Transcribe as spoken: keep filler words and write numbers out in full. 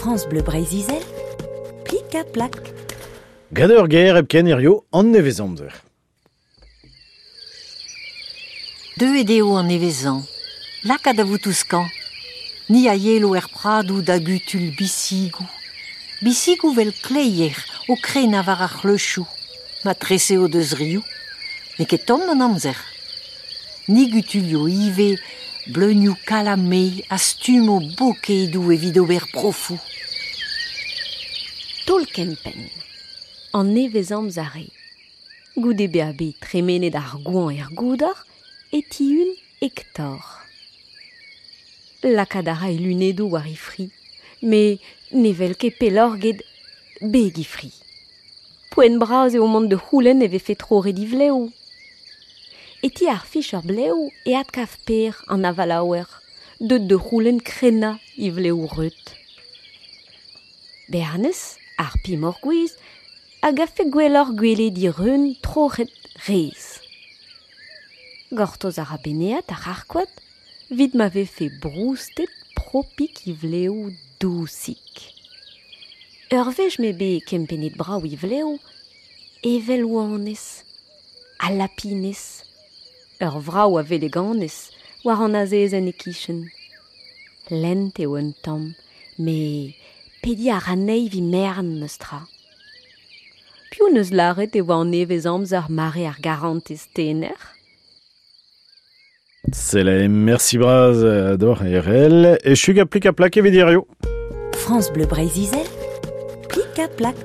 France Bleu Breizh-Izel, plik ha plak. Gant ur ger hepken hirio an nevezamzer. Deuet eo an nevezañ, lakaat da vout ouzh Ni a yelo er pradoù da gutul bisigoù. Bisigoù vel kleier o krenañ war ar c'hleuchoù. Ma trese o deus rioù. N'eo ket tomm an amzer. Ni gutulio ivez bleunioù kalame a stumo bokedoù evit ober profoù. Taol kempenn. An nevezamzer eo. Goude bezañ bet tremenet ar goañv er goudor e tihun Hector. Lakaat a ra e lunedoù war e fri, met ne wel ket pelloc'h get beg e fri. Poent bras eo mont da c'houlenn e vefe troret e vlev. E ti ar ficher blev e adkav Per an avalaouer, deut da c'houlenn krennañ e vlev reut. Bernez, ar pemoc'h gouez, a gavfe gwelloc'h gwelet e reun troc'het rez. Gortoz a ra Benead ar c'harkoad, evit ma vefe broustet propik e vlev dousik. Ur wech m'eo bet kempennet brav e vlev, evel oanez, ha lapinez, ur vrav a veleganez war an azezenn e-kichen. Lent eo un tamm, met pediñ a ra anezhi evit merenn memes tra. Piv neus lâret e oa an nevezamzer mare ar garantez tener ? C'est merci bras deoc'h Erell e chug a plik a plak evit hirio. France Bleu Breizh-Izel, plik ha plak.